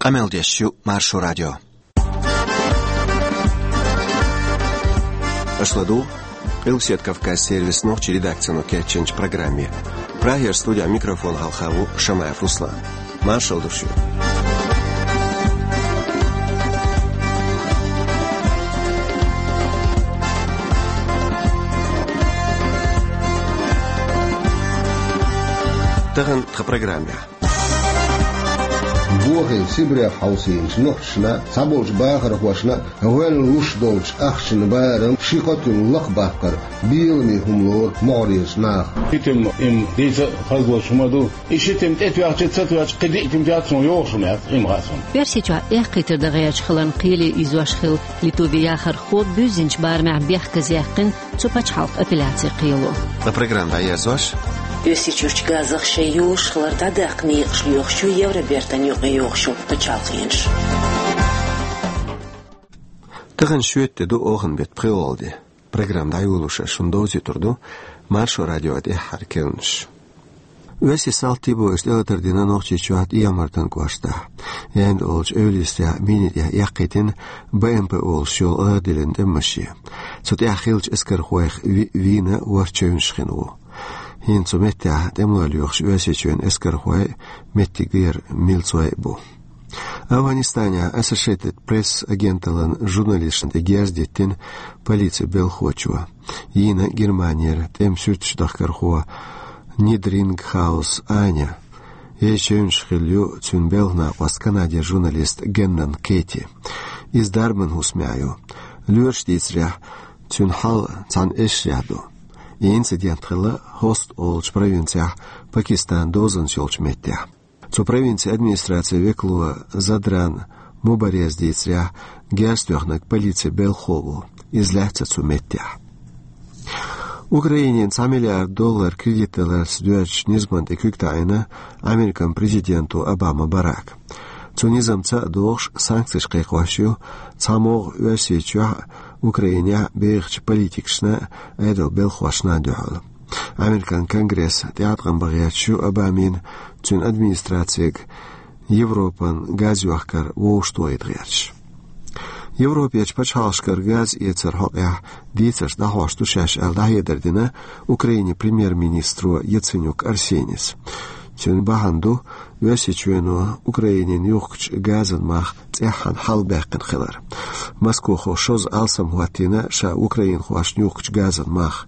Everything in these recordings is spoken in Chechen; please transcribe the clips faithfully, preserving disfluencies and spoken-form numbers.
Къамел деш ю Маршо радио. Аша ладугӀу Къилбаседа Кавказ сервисан нохчийн редакцино кечйинчу программе. Прагера студехь микрофон хьалха ву Шамаев Руслан. Маршалла ду шуьга. Тахана тхан программехь. Бохийна Сибрех хьовсийначу нохчашна а, цхьаболчу бахархошна а гӀоьнна луш долчу ахчанан барам ши-кхо туьма лакхабаккхар беламе хӀума лору могӀарерчу наха. Ши туьма им дийца а хазлуш хӀума ду. И ши туьма тӀетоьхча, ца тоьхча, кхин диъ туьма тоьхча, цунах йогӀуш хӀума яц, им хаьа суна. Оьрсийчохь эккхийтар дан гӀерташ хиларна кхеле ийзош хилла Литвин яхархо буьззинчу барамехь бехказъяьккхина цу пачхьалкхан апелляцин кхело. Ткъа программа дӀаерзош. Оьрсийчуьрчу газах шайн йолуш хилар дӀадаккха некъаш лоьхуш ю Евробертан юкъайогӀуш йолу пачхьалкхенаш. Тахана шоьтан де ду, оханан беттан пхоьалгӀа де. Программа дӀайолош шуна довзуьйтур ду Маршо радион тӀаьххьара керланаш. Оьрсийн салтий бохуш тӀелатар дина Нохчийчохь ТӀехьа-Мартан кӀоштахь. Янда олучу эвла йистехь, мини тӀехь эккхийтина Б М П олуш йолу аргӀан диллина тӀеман-машен. Цу тӀехь хиллачу эскархойх ви-, вийна ворхӀ чевнаш хин ву. ХӀинца цу меттехь тӀемалой лоьхуш Оьрсийчоьнан эскархой а, меттигера милцой а бу. АфгӀанистанехь Associated Press агенталлин журналисташна тӀе герз диттина полицин белхахочо. Йийна Германера тӀеман суьрташ дахкархо Нидрингхаус Аня. Еза чевнаш хилла ю цуьнан белхан накъост, Канадера журналист Геннон Кэти. Иза дарбан хӀусамехь ю. Лоьраша дийцарехь, цуьнан хьал цхьана эшарехь ду. И инцидент хилла Хост олучу провинцехь, Пакистанан дозанца йолчу меттехь. Цу провинцин администрацин векало Задран Мубареза дийцарехь, герз тоьхнарг полицин белхахо ву. Иза лаьцна цу меттехь. Украинина цхьа миллиард доллар кредит даларца доьзначу низамна тӀе куьг таӀийна Американ президента Обама Барака. Цу низамца а догӀуш, санкцеш кхайкхош ю цхьамогӀа Оьрсийчохь а, Украинехь а бехачу политикашна а, Ӏедалан белхахошна а дуьхьал. Американ Конгресс тӀеӀаткъам бан гӀерташ ю Обамина, цуьнан администрацига Европан газйохкар вовшахтохийта гӀерташ. Европерчу пачхьалкхашкара газ эцаран хьокъехь дийцарш дӀахьош ду шаьш аьлла, дӀахьедар дина Украинин премьер-министро Яценюк Арсенис. Цуьнан бахьана ду Оьрсийчоьно Украинина юхкучу газан мах цӀеххьана хьалабаьккхина хилар. Москвахо шозза алсам хӀоттийна ша украинхошна юхкучу газан мах.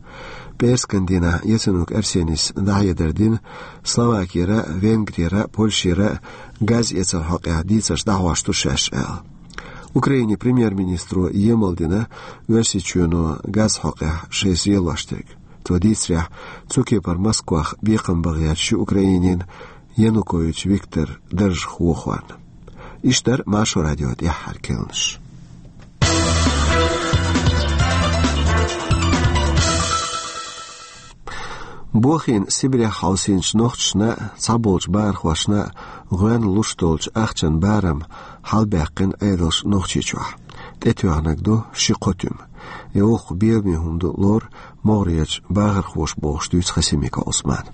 ПӀераскан дийнахь Яценюк Арсенис дӀахьедар дина Словакера а, Венгрера а, Польшера а газ эцаран хьокъехь дийцарш дӀахьош ду шаьш аьлла. Украинин премьер-министро емал дина Оьрсийчоьно газан хьокъехь шайн зелош дерг. Цо дийцарехь, цу кепара Москвах бекхам бан гӀерташ ю Украинина Янукович Виктор даржах вохорна. Иштта дара Маршо радион тӀаьххьара керланаш. Бохийна Сибрех хьовсийначу нохчашна а, цхьаболчу бахархошна а гӀоьнна луш долчу ахчанан барам хьалабаьккхина Ӏедалша Нохчийчохь. ТӀетоьхнарг ду ши-кхо туьма. И воккха беламе хӀума ду лору могӀарерчу бахархоша, бохуш дуьйцу Хасимиков Ӏусмана.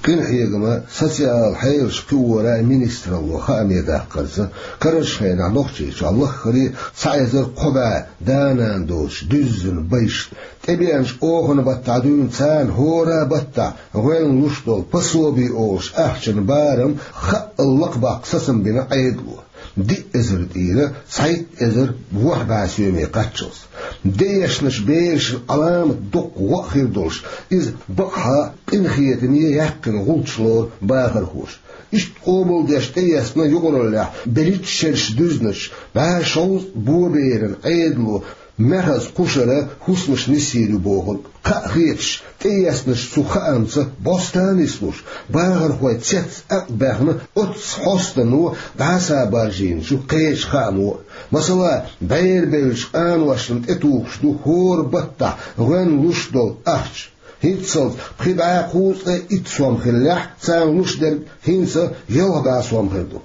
Къинхьегаман, социалан хьелаш кхиоран министралло хааме даккхарца, карарчу хенахь Нохчийчохь лаххара а цхьа эзар кхо бӀе да-нана доцуш дуьззина байшна, тӀебеанчу оханан баттахь дуьйна царна хӀора баттахь гӀоьнна луш долу пособи олуш ахчанан барам хаъал лакхабаккха сацам бина Ӏедало. Диъ эзар тӀера цхьайтта эзар ворхӀ бӀе соьме кхаччалц. Де эшначу берашна Ӏаламат доккха гӀо а хир долуш, иза бакъахьа къинхетаме яьккхина гӀулч лору бахархоша. Иштта къобалдеш тӀеэцна юкъараллехь берхӀитта шераш дуьзначу бӀе шовзткъа боберан Ӏедало маьхаза кхушара хӀусамаш нисйийр ю бохург. Кхаъ хеташ, тӀеэцначу цу хаамца бӀоста а нислуш, бахархой цец-акъ баьхна, оццу хьостано дӀасабаржийна ю кхечу хаамо а. Масала, бӀерабевллачу къаношна тӀетухуш ду хӀора баттахь гӀоьнна луш долу ахча. ХӀинццалц пхи бӀе кхузткъе итт сом хиллехь, царна луш дерг хӀинца ялх бӀе сом хир ду.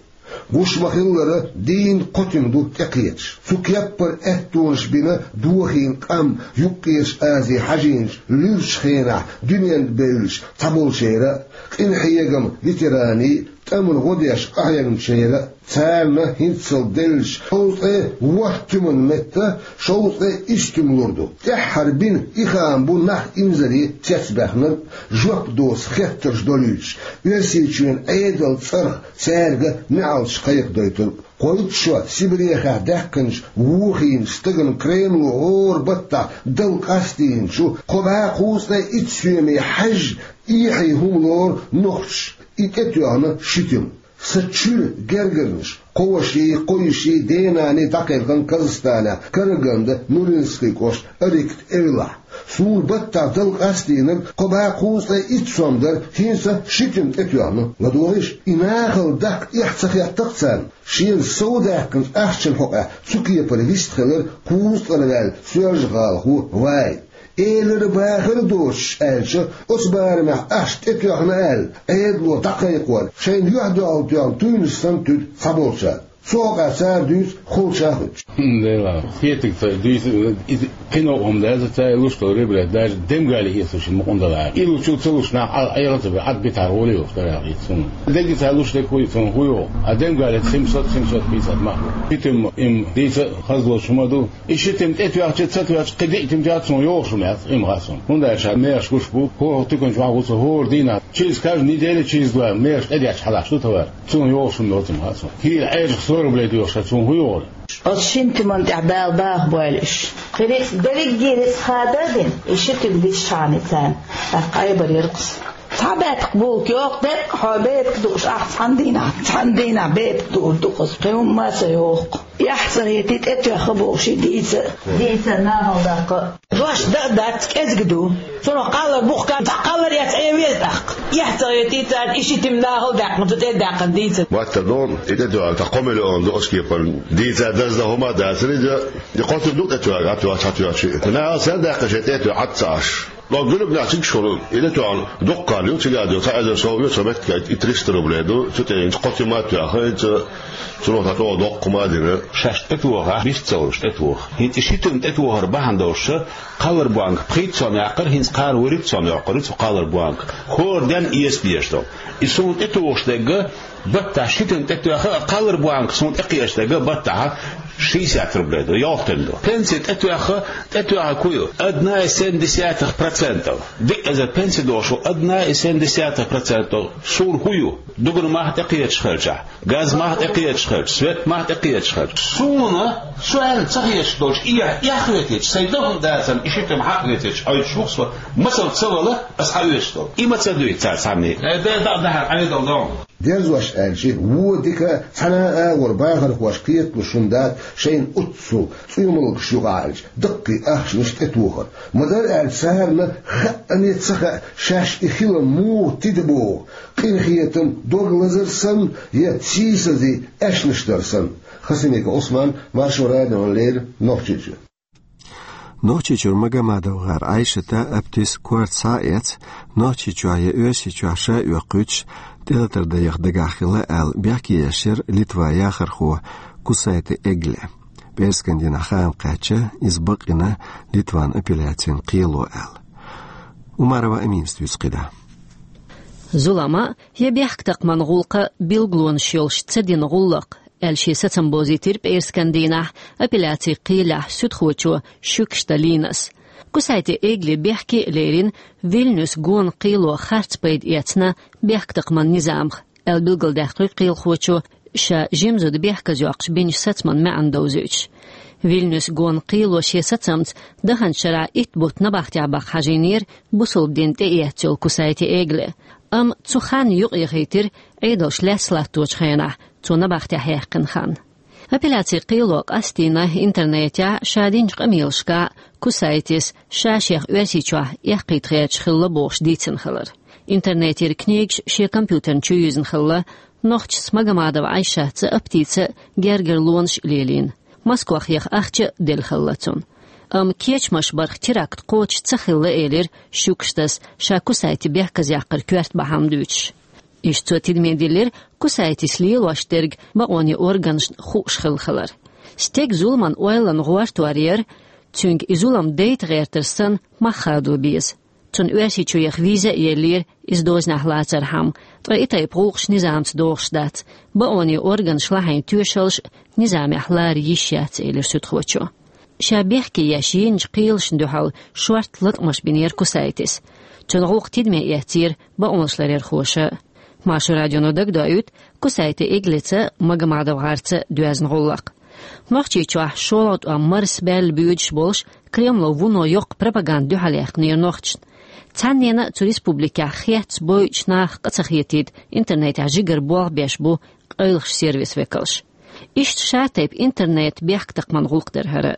Гуш ма-хиллара, дийнна кхо туьма ду тӀекхеташ. Цу кеппара аьттонаш бина дохийна къам Юккъерчу Азе хьажийначу луьрачу хенахь дуьненна бевллачу цхьаболчеран а, къинхьегаман ветеранийн а, ТӀеман гӀо деш къахьегначарна, царна хӀинццалц деллача шовзткъе ворхӀ туьман метта шовзткъе исс туьма лур ду. ТӀаьххьара бина и хаам бу нах инзаре цецбаьхнарг, жоп доца хеттарш долуьйтуш, Оьрсийчоьнан Ӏедалан цӀарах цаьрга неӀалташ кхайкхадойтург. Кхойтта шо Сибрехахь даьккхинчу вохийначу стагана Кремло хӀора баттахь дала къастийначу кхо бӀе кхузткъе итт соьме хьаьжжа, эхье хӀума лору нохчаша и тӀетоьхна ши туьма. Сан чуьра гергарнаш, кхо ваший, кхо йиший, денанний дӀакхелхина Казахстанехь, Карагандан Нуринский кӀоштан Орикт эвлахь. Суна баттахь дала къастийнарг кхо бӀе кхузткъе итт сом дара, хӀинца ши туьма тӀетоьхна. ЛадогӀийша, и нахала даккха эхь ца хетта-кх царна. Шена сов даьккхинчу ахчанан хьокъехь цу кепара вистхилира кхузткъара ваьлла соьлжа-гӀалахо Ваи. Элира-бахира доцуш аьлча, оцу барамехь ахча тӀетоьхна аьлла, Ӏедало дӀакхайкхор, шайна юьхь-дуьхьал тоьхна туьйнаш санна туьду цхьаболчара. Цу хьокъехь цара дуьйцу холчахуьттуш. Дела, кхетиг ца дуьйцу, иза кхин новкъа хӀума дац, ца луш долу ребрет, даже демгали эцалуш ма къундала. И лучу ца луш нах Ӏа-, Ӏела ца бе, Ӏад битахьара гӀоле йолуш дара яхийта суна. Дерриге ца луш дерг хуй, цунна хуй йогӀу. А демгали химсот, химсот пятьдесят мах. Хитим им дийца хазлочу хӀума ду. И ши тим тӀетоьхча, ца тоьхча, кхин диъ тим тоьхча, цунна йогӀуш хӀума яц, иман хаьа суна. ХӀунда аьлча мехаш гуш бу, хӀора тиканчу вахь ву ца хӀора дийнахь, через каждый неделя, через два мехаш тӀедетташ хьалаш ду товар. Цунна йогӀуш хӀума йоцу, иман хаьа суна. Кийра Ӏежах сорублей доьхуш, цунна хӀун йогӀура? Оцу шина тиман тӀехь Дала баха бойла уьш. Кхин рицкъ дерригге рицкъ хададина, и ши тим дисчхьана царна. ТӀаккха айбар яркъас. Цхьа баьпках булка йоккху деккъа, хьо бепиг дууш ахь цхьана дийнахь, цхьана дийнахь бепиг дуур ду-кх аса, кхин хӀумма а ца йоккху. Эхь ца хетий, тӀетоьхха бохуш и дийца а. Дийца а нахала даккха. Дош дан а дац, кӀезиг ду. Цунах кхаллар бу-кх, кхаллар эцна Ӏен веза тӀаккха. Эхь ца хетий царна, и ши тим нахала даьккхина, цу тӀе а даьккхина дийца. Ваттар ду, и тӀетоьхна, тхан кхо миллион ду оцу кепара. Дийца даздан хӀума а дацара иза, и кхо тим ду тӀетоьхна, а тоьхча, хьатоьхча. Нахала ца даьккхина шайн тӀе а тоьхна, Ӏад ца Ӏаш. Ло гуьлгнахь цига шуна, и де тоьхна дуккха ю, цига ду, цхьа эзар сов ю, цхьа меттиг и триста рублей ду, цу тӀе хӀинца кхо тима а тоьхна, хӀинца цунах тӀе чӀогӀа доккха хӀума а дина. Шаьш тӀетоха, вист ца луш тӀетоха. ХӀинца и ши тим тӀетохар бахьана долуш, кхаллар бонка пхийтта сом яккхар, хӀинца кхара вуьрхӀитта сом йоккхур ю цу кхаллар бонка. ХӀора денна эца дезаш долу. И суна тӀетохуш дерг, баттахь ши тим тӀетоьхна, кхаллар бонка суна тӀекхеча дерг баттахь шестьдесят рублей ду, йоккха тим ду. Пенси тӀетоьхна, тӀетоьхна кху ю? Одна и семь десятых процентов. Диъ эзар пенси долуш ву, одна и семь десятых процентов. Суна хӀун ю? Дугург мах тӀекхечаш хилчахь, газ мах тӀекхечаш хилча, свет мах тӀекхечаш хилча. Суна, со аьлла ца хеташ долчу, и эхь хетийча, сайн дан хӀума дацарна, и ши тим хьакъ хетийча, Ӏуьйтуш ву-кх со, масал ца вала, аса хьаоьцуш долу. И ма ца дуьйцу цара цхьанне. Э, де, дӀа а дахьара, Ӏедал догӀу. Дерзош аьлча, вон дика цхьана а агӀор бахархоша кхеталуш хӀума дац шайна оццул цӀоьмалгаш юкъахь аьлча, даккхий ахчанаш тӀетохар. Ма-дарра аьлча, царна хаъане ца хаьа, шаьш и хилам муха тида боху, къинхетам дог лазар санна я сийсазе аьшнаш дар санна. Хасимиков Ӏусман, Маршо радиона леррина, Нохчийчоь. Нохчийчуьра Магомадова-гӀар Ӏайшата, Аптис корта схьа а эцна, Нохчийчохь я Оьрсийчохь ша а оьккхуьйтуш, тӀелатар дан яха дагахь хилла аьлла, бехке еш яра Литван яхархо Кусайте Эгле. ПӀераскан дийнахь хаам кхаьчна, иза бакъйина Литван апелляцин кхело аьлла. Умарова Аминас дуьйцу кхидӀа. Зулам а, я бехктакхаман гӀуллакх а билгалонаш йолуш ца дина гӀуллакх, аьлла, шен сацам бовзийтира пӀераскан дийнахь апелляцин кхелехь суьдхочо Шукшта Линас. Кусайте Эгли бехке а лерина, Вильнюс гонан кхело харц пайда эцна бехктакхаман низамах, аьлла билгалдаьккхира кхелахочо, ша жима зуда бехказйоккхуш бинчу сацаман маьӀна довзуьйтуш. Вильнюс гонан кхело шен сацамца даханчу шарахь итт бутт набахтехь баха хьажийнера бусалба дин тӀеэцна йолу Кусайте Эгли. Амма цу ханна юкъаяхийтира Ӏедалш лаьцна латточу хенахь, цо набахтехь яьккхина хан. Апелляцин кхело къастийна интернетехь ша динчу къамелашкахь Кусайтис ша шех Оьрсийчохь эккхийта хеташ хилла бохуш дийцина хилар. Интернетера книгаш шен компьютерна чу юьзна хилла, нохчашца Магомадова Ӏайшатца а, Аптица а гергарлонаш а лелийна. Москвахь яха ахча а делла хилла цунна. Амма кечамаш барх теракт кхочуш ца хилла, элира Шукштас, ша Кусайте бехказъяккхар коьрта бахьана дуьйцуш. Иштта цо тидаме диллира Кусайтис лелош дерг бакъонийн органашна хууш хилла хилар. Стеган зуламан ойланан гӀортор яра, цуьнга и зулам дайта гӀертар санна мах хадо беза. Цунна Оьрсийчу яха виза а еллера, иза дозанехь лацархьама, ткъа и тайпа гӀуллакхаш низамца догӀуш дац. Баоне органаш лахьийна тоьшаллаш низамехь лара йиш яц, элира суьдхочо. Ша бехке еш йинчу кхелашна дуьхьал шортта латкъамаш бинера Кусайтис. Цуьнан гӀуллакх тидаме эцнера баонаш ларъярхоша. Маршо радионо дагадоуьйту Кусайти Эглица, МагомадовгӀарца доьзна гӀуллакх. Нохчийчохь шолгӀа тӀом марсабаьлла боьдуш болуш, Кремло вуно йоккха пропаганда дуьхьал яьккхинера нохчашна. Цхьаннена а цу республикехь хецна бойучу наха къа ца хетийта интернетехь жигара болх беш бу къайлахчу сервисийн векалш. Иштта ша тайпа интернет бехктакхаман гӀуллакх дара хӀара.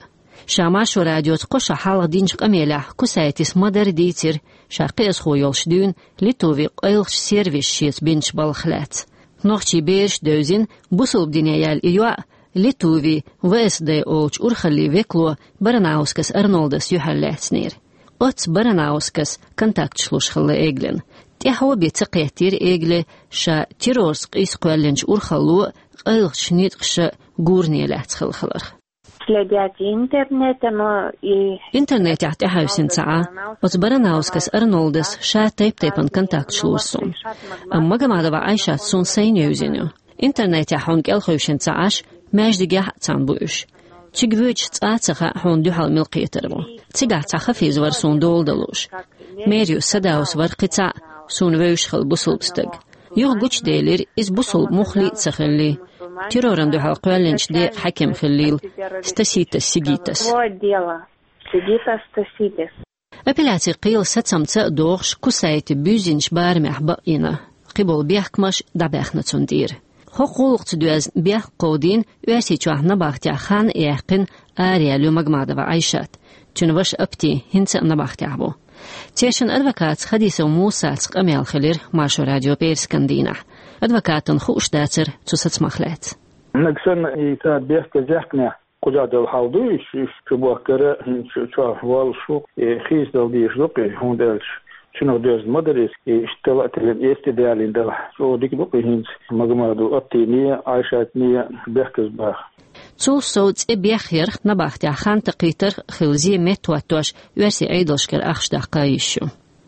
Ша Маршо радиоца кхо шо хьалха динчу къамелехь Кусайтис ма-дарра дийцира ша кхиазхо йолуш дуьйна Литвин къайлахчу сервиса шеца бинчу балхах лаьцна. Нохчийн бераш а девзина, бусалба дине яьлла и йоӀ, Литвин В С Д олучу урхаллин векало Баранаускас Арнолдас юьхьарлаьцнера. Оццу Баранаускас контакташ луш хилла Эглина. ТӀаьхьо бен ца кхеттера Эгли ша террорца къийса кхоьллинчу урхалло а, къайлахчу ницкъаша а гуране лаьцна хилла хиларх. Следят и интернета, но и Интернетехь тӀаьхьаьвсина ца Ӏа, оцу Баранаускас Арнолдас ша тайп-тайпана контакташ лора суна. Амма Магомадова Айшат суна сайна евзина ю. Интернетехь хьуна кӀелхевшина ца Ӏаш, маьждигехь а цхьаьна бу уьш. Цига воьдуш цкъа а ца хаьа хьуна дуьхьал мила кхетар ву. Цигахь цхьа Хафиз вара суна дола дан лууш. Мериус Садаус вара кхин цхьаъ, суна вевзаш хилла бусалба стаг. Юха гучуделира, иза бусалба муххале а ца хиллий, террорна дуьхьал кхоьллинчу декъан хьаькам хиллийла, Стаситас Сигитас. Апелляцин кхелан сацамца а догӀуш, Кусайти буьззинчу барамехь бакъйина, кхиболу бехкамаш дӀабаьхна цунна тӀера. ХӀокху гӀуллакхца доьзна бехк кховдийна Оьрсийчохь набахтехь хан а яьккхина араяьлла ю Магомадова Айшат. Цуьнан ваша Апти хӀинца а набахтехь ву. Церан адвокатца Хадисов Мусаца къамел хилира Маршо радион пӀераскан дийнахь. Адвокатана хууш дацара цу сацамах лаьцна. Нагахь санна и цара бехказъяьккхинехь, кхузахь долу хьал ду, уьш, уьш чу бохкара, хӀинца чохь воллуш ву, и хийцадала дезаш ду-кх и, хӀунда аьлча цунах доьзна ма дара иза, и иштта тала а тиллина, эцтӀе далийна делахь, чӀогӀа дика ду-кх и хӀинца Магомадова Аптине а, Айшатне а бехказбаха. Цул сов цӀе бехъярх, набахтехь хан такхийтарх а хилла зен меттахӀоттош, оьрсийн Ӏедалшкара ахча даккха йиш ю.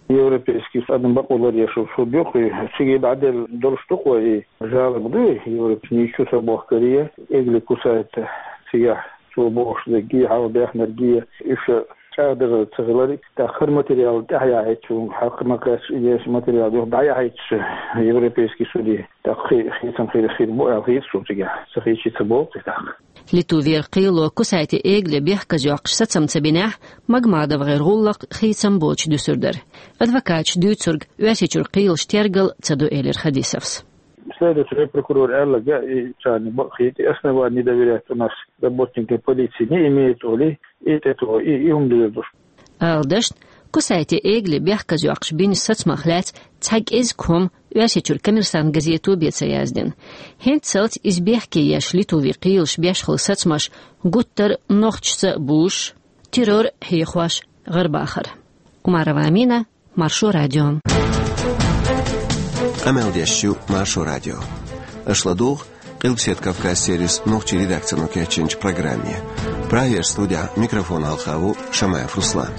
Европейский адам бакъо ларъеш йолу суд ю-кх и, цига дӀаделла долуш ду-кх вай и жалоба ду и, Европа ничего ца бохкаре, Эгли Кусайти цигахь цо бохуш дерриге, хьалха баьхнарге, уьш чӀагӀдарца ца хилар, тӀаккха хӀара материал тӀаьхьаяхьийтича, хьакха ма-кхаьчча, и дешан материал юха дӀаяхьийтича Европейский суде, тӀаккха хи-, хийцам хир, хир бу аьлла хета суна цигахь, ца хийцича ца болу-кх и тӀаккха. Литвера кхело Кусайти Эгли бехказйоккхуш сацам ца бинехь, МагомадовгӀеран гӀуллакх хийцам боцуш дуьсур дара. Адвокаташа дуьйцург Оьрсийчуьра кхелаш тергал ца до, элира Хадисовс. Следователь, прокурор аьлларг, и царна бакъ хета, и основание не доверять у нас работникам полиции не имеет, олий, и тӀе тоьу, и, и хӀума дезар ду. Ала дашна, Кусайти Эгли бехказйоккхуш бинчу сацамах лаьцна цхьа кӀезиг хӀума Оьрсийчуьра Коммерсант газето бен ца яздина. ХӀинццалц иза бехке еш Литвин кхелаш беш хилла сацамаш гуттар а нохчашца а бузуш, террор а хьехош, гӀарабахар. Умарова Амина, Маршо радио. Къамел деш ю Маршо радио. Аша ладугӀу Къилбаседа Кавказ сервисан нохчийн редакцино кечйинчу программе. Прагера студехь микрофон хьалха ву Шамаев Руслан.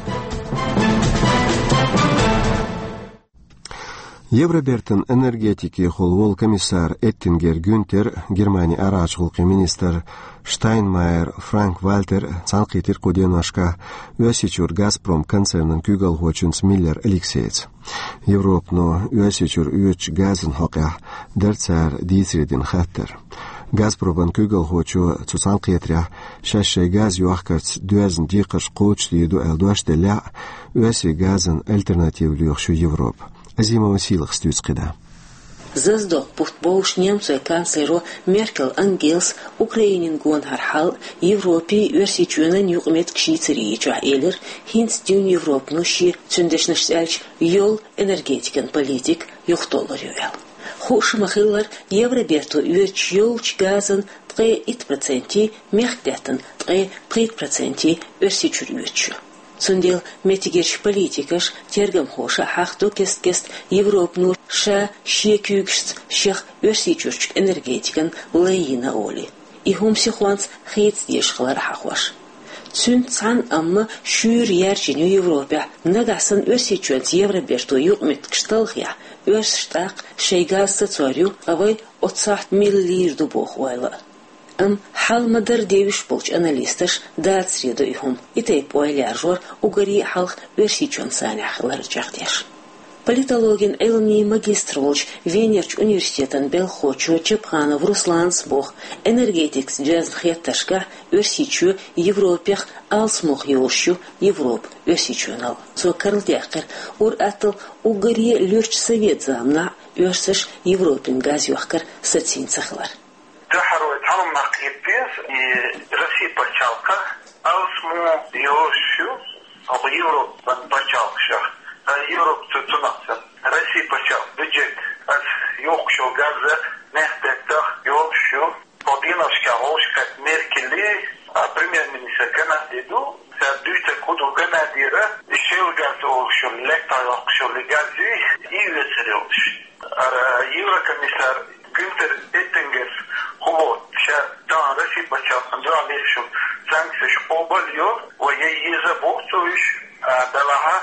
Евробертан энергетикехула волу комиссар Эттингер Гюнтер, Германин арахьарчу гӀуллакхийн министр Штайнмайер Франк-Вальтер цхьаьнакхийтира кху деношкахь Оьрсийчуьра «Газпром» концернан куьйгалхочуьнца Миллер Алексейца. Европано Оьрсийчуьра оьцучу газан хьокъехь дара цара дийцаре дина хаттар. «Газпроман» куьйгалхочо цу цхьаьнакхетарехь шаьш шайн газ йохкарца доьзна декхарш кхочушдийр ду аьлла дош деллехь а, оьрсийн газан альтернатива лоьхуш ю Европа. Азимова Сийлахас дуьйцу кхидӀа. Заздокх бутт бовлуш немцойн канцлеро Меркел Ангелас Украинина гонахара хьал, Европин, Оьрсийчоьнан юкъаметтигаш йийцаре йичохь элира, хӀинца дуьйна Европано шен, цуьнан дешнашца аьлча, йолу энергетикан политика юхатоллур ю аьлла. Хууш ма-хиллара, Евроберто оьцуш йолчу газан ткъе итт процентий, мехкдаьттан ткъе пхийтта процентий Оьрсийчуьра оьцуш ю. Цундела меттигерчу политикаша, тергамхоша хьахадо кест-кеста Европано ша шен куьйгашца шех Оьрсийчуьрчу энергетикана лай йина олий. И хӀума сихонца хийца дезаш хилар хьахош. Цуьнца цхьаьна амма шуьйра яьржина ю Европехь, нагахь санна Оьрсийчоьнца Евроберто юкъаметтигаш талхахь, оьрсаша тӀаккха шайн газ сацор ю, ткъа вай оццу сохьта мила лийр ду боху ойла а. Амма хьал ма-дарра девзаш болчу аналисташа дацаре до и хӀума, и тайпа ойла яржор уггаре а хьалха Оьрсийчоьнан санехь хилар чекхдеш. Политологин Ӏилмийн магистр волчу Венерчу университетан белхахочо Чапханов Руслана боху, энергетикаца доьзна хеттаршкахь Оьрсийчоь Европех алсамох йолуш ю, Европа Оьрсийчоьнал. Цо карладаьккхира, ур-атталла уггаре а луьрачу совет заманахь оьрсаша Европина газ йохкар сацийна ца хилар. Тахьара вай цхьана хӀуманах кхета деза, и Россия пачхьалкх алсамо йолуш ю хӀокху Европан пачхьалкхашах. Ткъа Европа цу цунах санна, Россия пачхьалкхан бюджет, ас йохкуш йолу газ мехкдаьттах йолуш ю. Хьо дийнахь вовшахкхетта Меркель, а, премьер-министр Канади ду, цара дуьйцург хӀун ду, Канадера и шелла газ олуш йолу, лаьттах йоккхуш йолу газ ю, и оьцур йолуш. Ара еврокомиссар Гюнтер Эттингерс хӀун боху, ша тахана Россия пачхьалкхана дуьхьал лелаш йолу санкцеш къобал йо, вай ян еза боху цо уьш, а, делахь а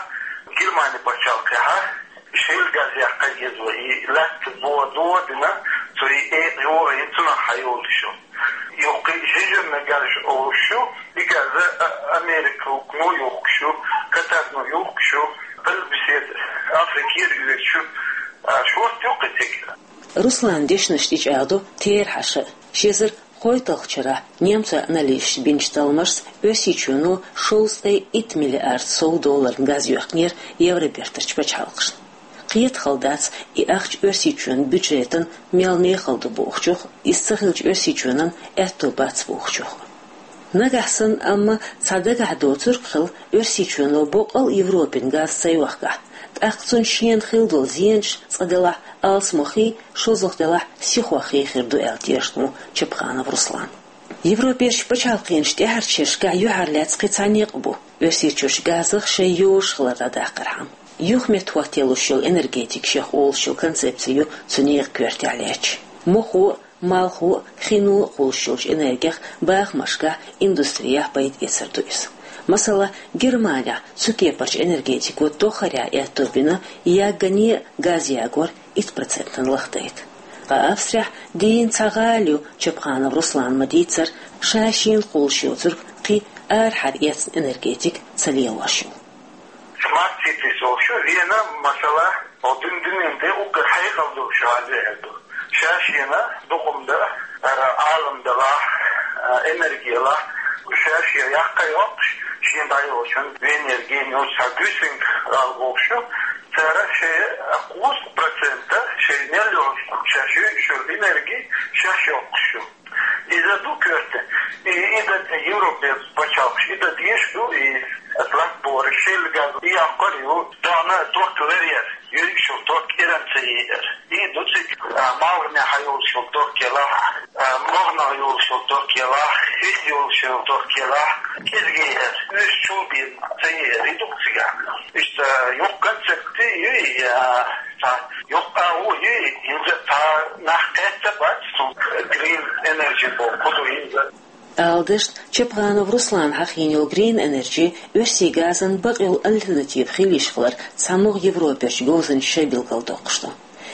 Германи пачхьалкхехь а шелла газ яккха еза вай, и лаьтта бо-, дохо а дина, цо и экъа йохийна, цунах хьайолуш йолу. Юха кхин жижигна газ олуш ю, и газ а, а, Американо йохкуш ю, Катарано йохкуш ю, Къилбаседа Африкера йоьдуш ю, а, шорта ю кхин цига. Руслана дешнаш тӀечӀагӀдо терахьаша а. Ши эзар кхойтталгӀачу шарахь немцойн аналисташа бинчу талламашца Оьрсийчоьно шовзткъе итт миллиард сов долларна газ йоьхкинера Евробертарчу пачхьалкхашна. Кхета хала дац и ахча Оьрсийчоьнан бюджетан мел мехала ду бохучух, иза ца хилча Оьрсийчоьнан аьтто бац бохучух. Нагахь санна амма цхьа дагахь доцург хила, Оьрсийчоьно боккъал а Европина газ ца йохкахь, тӀаккха цунна шена хила долу зенаш цкъа делахь алсамохий, шозлагӀа делахь сихохий хир ду аьлла тешна ву Чапханов Руслан. Европерчу пачхьалкхенаш тӀаьхьарчу шерашкахь юьхьарлаьцна кхин цхьа некъ бу, Оьрсийчуьрчу газах шайн йозуш хилар дӀадаккхархьама. ЮхаметтахӀотта йолуш йолу энергетика шех олуш йолу концепци ю цу некъан коьртехь лаьтташ. Мохо а, малхо а, хино а кхуллуш йолчу энергех бахамашкахь, индустрияхь пайда эцар ду иза. Масала, Германехь цу кепарчу энергетико тоххарехь аьтто бина, яггане а газ ягор итт процентана лахдайта. Ткъа Австрехь дийна цхьа гӀала ю, Чапханов Руслана ма-дийццара, ша-шена кхуллуш йоцург кхин арахьара эцна энергетика ца лелош йолу. Smart cities олуш ю, Вена, масала, хьо дуьнен тӀе уггар хьекъал долуш гӀала ю аьлла ду. Ша-шена дукха хӀума дан, ара, Ӏалам далахь, а, энерги ялахь, ша-шена яккха йоккхуш, шена дӀайолчун Венера гена йолчу цхьа Гюсинг гӀала бохуш ю, цара шайн кхузткъа процента шайн мел йолуш, ша шуьйра шуьра энерги шаьш йоккхуш ю. Иза ду коьрта. И, и дан Европе пачхьалкхаш, и дан дезаш ду, и латта бора, шелла газ, и яккхар ю, дона ток ларъяр, юьриг шух ток иран ца еар. И ду цига, а, малханехь йолуш йолу ток елахь, а, могӀанах йолуш йолу ток елахь, хӀинца йолуш йолу ток елахь, кӀезиг еар, уьш чул бен ца еар, и ду цигахь. Иштта юха концепци ю, и, а, цхьа юха агӀо ю, хӀинца цхьа нах кхетта бац, цу Green Energy боху, кху ду хӀинца. Ала дашна, Чапханов Руслана хьахийна йолу Green Energy оьрсийн газан бакъйолу альтернатива хила йиш хилар цхьамогӀа Европерчу говзанчаша билгалдоккхуш ду.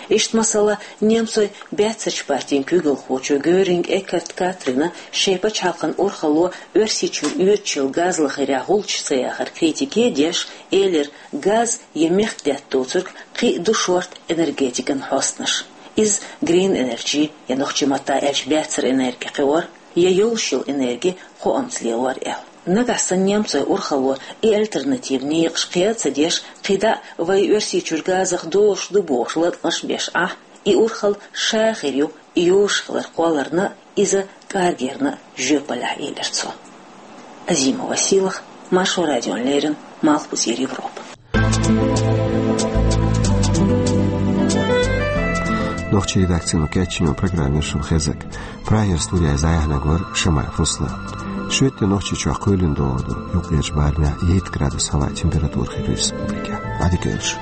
Иштта, масала, немцойн баьццарчу партин куьйгалхочо Гёринг Эккарт Катрина шайн пачхьалкхан урхалло Оьрсийчуьра оьцуш йолу газ лахарехь гӀулчаш ца яхар критике а деш, элира, газ я мехкдаьтта доцург кхин а ду шорта энергетикан хьостанаш. Иза Green Energy я нохчийн маттахь аьлча баьццара энерги кхиор, я йолуш йолу энерги кхоамца лелор аьлла. Нагахь санна немцойн урхалло и альтернатива некъаш кхел а ца деш, кхидӀа а вай Оьрсийчуьра газах долуш ду бохуш латкъаш беш Ӏахь, и урхалла ша хир ю, и йозуш хилар кхолларна а, иза кӀаргъярна а жоьпаллехь, элира цо. Азимова Сийлаха, Маршо радиона леррина, Малхбузера Европа. Нохчийн редакцино кечйинчу программера шуна хезарг. Прагера студехь дӀаяьхьнарг вара Шамаев Руслан. Шоьтан Нохчийчохь кхоьлина догӀу ду, юккъерчу барамехь итт градус хьалха температура хир ю республикехь. Ӏадика йойла шун.